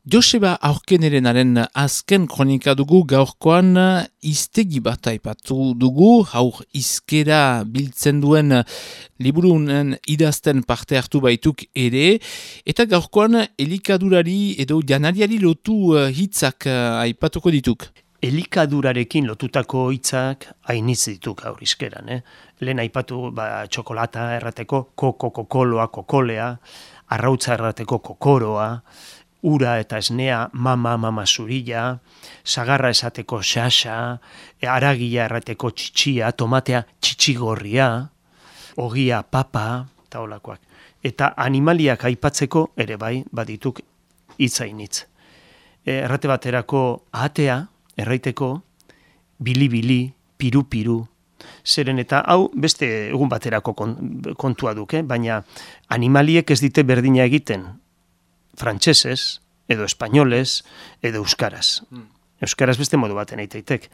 Joseba Aurkenerenaren azken kronika dugu gaurkoan hiztegi bat aipatu dugu, haur hizkera biltzen duen liburunen idazten parte hartu baituk ere, eta gaurkoan elikadurari edo janariari lotu hitzak aipatuko dituk. Elikadurarekin lotutako hitzak hainitz dituk gaur hizkeran. Lehen aipatu txokolata errateko kokoloa, kokolea, arrautza errateko kokoroa, ura eta esnea mama zurila, sagarra esateko xaxa, aragia errateko txitxia, tomatea txitxigorria, ogia papa, eta holakoak. Eta animaliak aipatzeko ere bai badituk hitzainitz. Errate baterako ahatea, erraiteko bili-bili, piru-piru, zeren eta hau beste egun baterako kontua duk, baina animaliek ez dite berdina egiten, frantsesez, edo espainolez, edo euskaraz. Euskaraz beste modu baten eiteitek.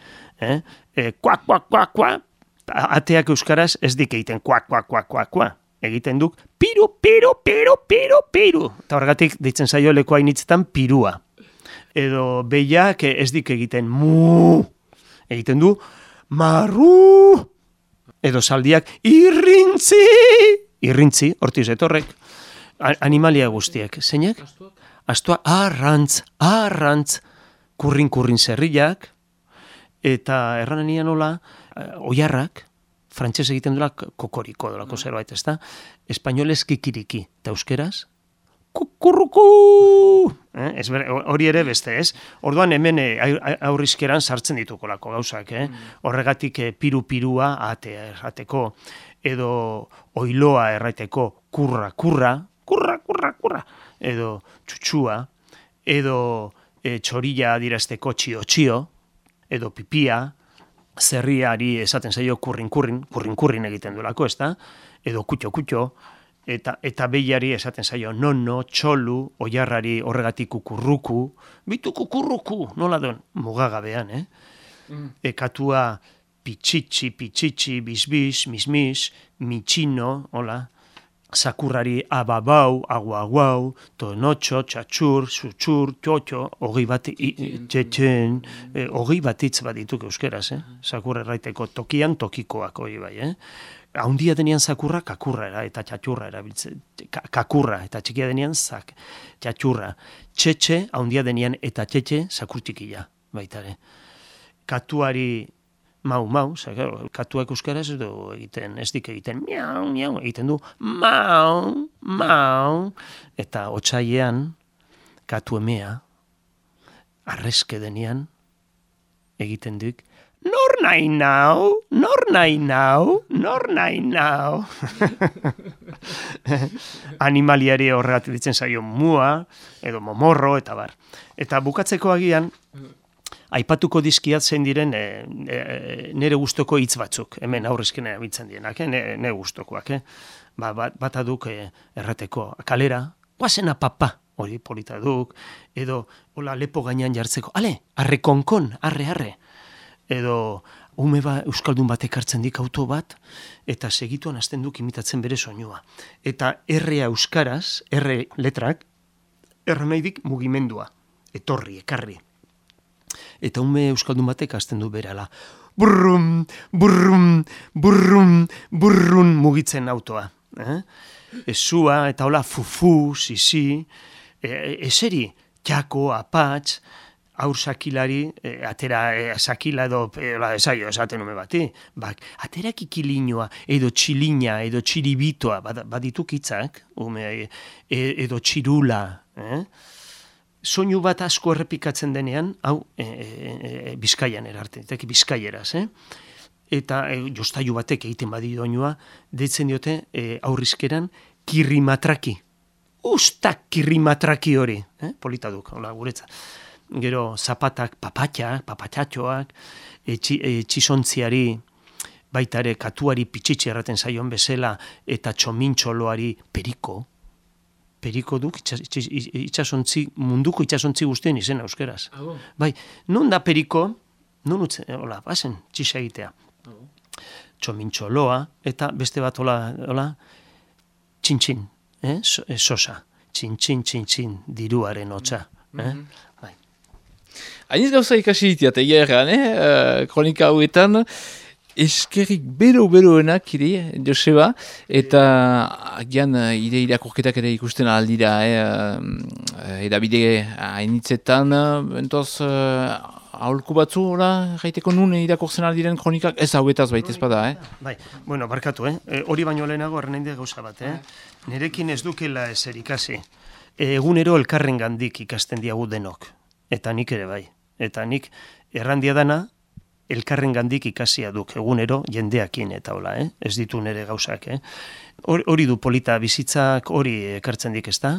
Kuak, kuak, kuak, kuak. Ateak euskaraz ez dik egiten kuak, kuak, kuak, kuak, kuak. Egiten duk piru, piru, piru, piru, piru. Eta horregatik deitzen zaio leku hainitzetan pirua. Edo behiak ez dik egiten mu. Egiten du marru. Edo zaldiak irrintzi. Irrintzi, hortiz etorrek. Animalia guztiek, zeinek? Astua, arrantz, kurrin zerriak, eta erranen nian nola, oiarrak, frantses egiten dula kokoriko dolako zerbait, ez da? Espainolez kikiriki, eta euskeraz, kukurruku! Hori ere beste, ez? Orduan hemen aurrizkeran sartzen ditukolako gauzak, Horregatik piru-pirua ateko, edo oiloa erraiteko kurra, edo txutxua, edo txorilla dirazteko txio, edo pipia, zerriari esaten zaio kurrin egiten duelako, ez da? Edo kutxo, eta behiari esaten zaio nono, txolu, oiarrari horregatik kukurruku, bitu kukurruku, nola duen, mugagabean, Katua pitxitxi, bisbis, mismis, mitxino, hola, sakurrari ababau, aguaguau, tonotxo, txatxur, zutxur, txotxo, hogei bat hitz bat dituk euskeraz, sakurra erraiteko tokian tokikoak hori bai, Haundia denean sakurra kakurra eta txatxurra erabiltzen, kakurra eta txikia denean txatxurra, txetxe, haundia denean eta txetxe sakurtikila, baitare. Katuari mau, katuak euskaraz edo egiten, ez dik egiten miau, miau, egiten du mau, eta otsailean katu emea, arreske denean, egiten duk, nor nahi nau. Animaliari horregatik ditzen zaio mua, edo momorro, eta bar. Eta bukatzeko agian, aipatuko dizkiat zein diren nere gustoko hitz batzuk, hemen aurrezkena abitzen dienak, nere gustokoak. Bata duk errateko kalera, guazena papa, hori polita duk, edo hola lepo gainean jartzeko, arre, arre, edo ume euskaldun batek hartzen dik auto bat, eta segituan hasten duk imitatzen bere soinua. Eta errea euskaraz, erre letrak, erra nahi dik mugimendua, etorri, ekarri. Eta ume euskaldun batek hasten du berala. Burrum, mugitzen autoa. Ezua, eta hola fufu, sisi, eseri, txako, apatx, aur sakilari, atera sakila edo, esaten ume bati, atera kikilinoa, edo txilina, edo txiribitoa, badituk hitzak, edo txirula, soinu bat asko errepikatzen denean, hau Bizkaian erarte, bizkaieraz, eta jostailu batek egiten badi doinua, deitzen diote aurrizkeran kirrimatraki. Ustak kirrimatraki hori, polita duk, hola, guretza. Gero zapatak papatxatxoak, txizontziari, baita ere katuari pitxitxe erraten zaion bezala, eta txomintxoloari periko duk, munduko itxasontzi guztien izena euskeraz. Bai, non da periko, non utzen, hola, bazen, txixa egitea. Txomintxoloa, eta beste bat hola, txintxin, sosa, txintxin, diruaren hotza. Bai. Hainiz gauza ikasi ditiat, egia erran, kronika hauetan, eskerrik bero-beroenak ire, Joseba, eta agian ire irakurketak ere ikusten aldira, edabide hainitzetan, bentoz, aholku batzu, gaiteko nun irakurtzen aldiren kronikak, ez hauetaz baita ezpada, Bai, bueno, barkatu, hori baino lehenago errenainde gauza bat, Nerekin ez dukela ezer ikasi. Egunero elkarren gandik ikasten diagu denok, eta nik ere bai. Eta nik errandia dana, elkarren gandik ikasia duk egunero jendeakin eta hola, ez ditu nere gauzak. Hori du polita bizitzak, hori ekartzen dik ez da,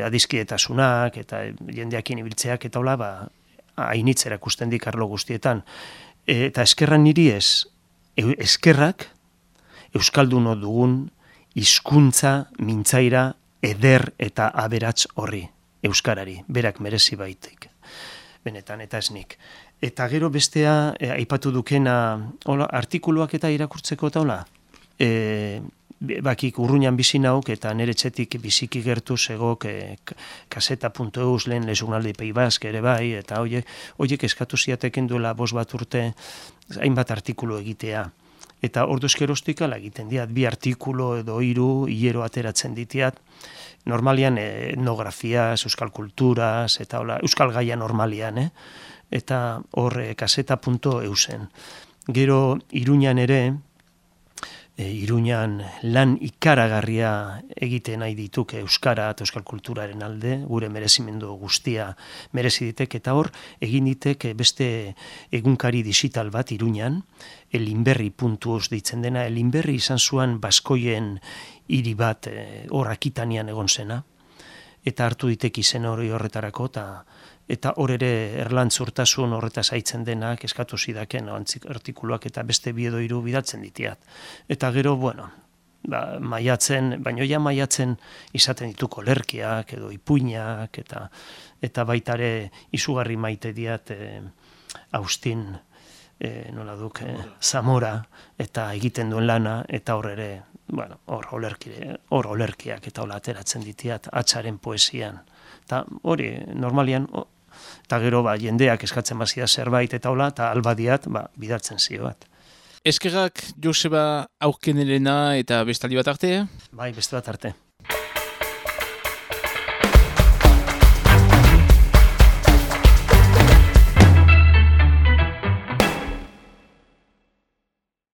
adiskietasunak eta jendeakin ibiltzeak eta hola, hainitzera ikusten dik arlo guztietan. Eta eskerran niri ez, eskerrak euskalduno dugun hizkuntza mintzaira eder eta aberats horri, euskarari, berak merezi baitik. Benetan, eta ez nik. Eta gero bestea, aipatu dukena, artikuluak eta irakurtzeko eta hola, bakik urruñan bizi nauk eta nire txetik biziki gertu zegok kaseta.eus lehen lesunaldi Pei Bask ere bai, eta horiek eskatu ziateken duela 5 bat urte hainbat artikulu egitea. Eta orduz geroztik ala egiten diat, 2 artikulu edo 3 hilero ateratzen ditiat, normalian etnografiaz, euskal kulturaz, eta hola, euskal gaia normalian, eta hor kaseta.eusen. Gero Iruñan ere, Iruñan lan ikaragarria egiten nahi dituk euskara eta euskal kulturaren alde, gure merezimendu guztia merezi ditek, eta hor egin ditek beste egunkari digital bat Iruñan, elinberri.eus deitzen dena, elinberri izan zuen baskoien hiri bat hor Akitanian egon zena, eta hartu ditek izen hori horretarako, eta hor ere erlantzurtasun horretaz haitzen denak eskatu zidaken artikuluak eta beste 2 edo 3 bidaltzen ditiat. Eta gero, bueno, maiatzen, baino ja maiatzen izaten dituko olerkiak edo ipuinak, eta baitare izugarri maite diat Austin, nola duk, Zamora, eta egiten duen lana, eta hor ere, bueno, hor olerkiak eta hola ateratzen ditiat, Atzaren poesian. Eta hori, normalian, eta gero jendeak eskatzen bazia zerbait eta hola, eta albadiat bidaltzen zio bat. Eskerrak Joseba Aurkenerena eta bestaldi bat arte? Bai, beste bat arte.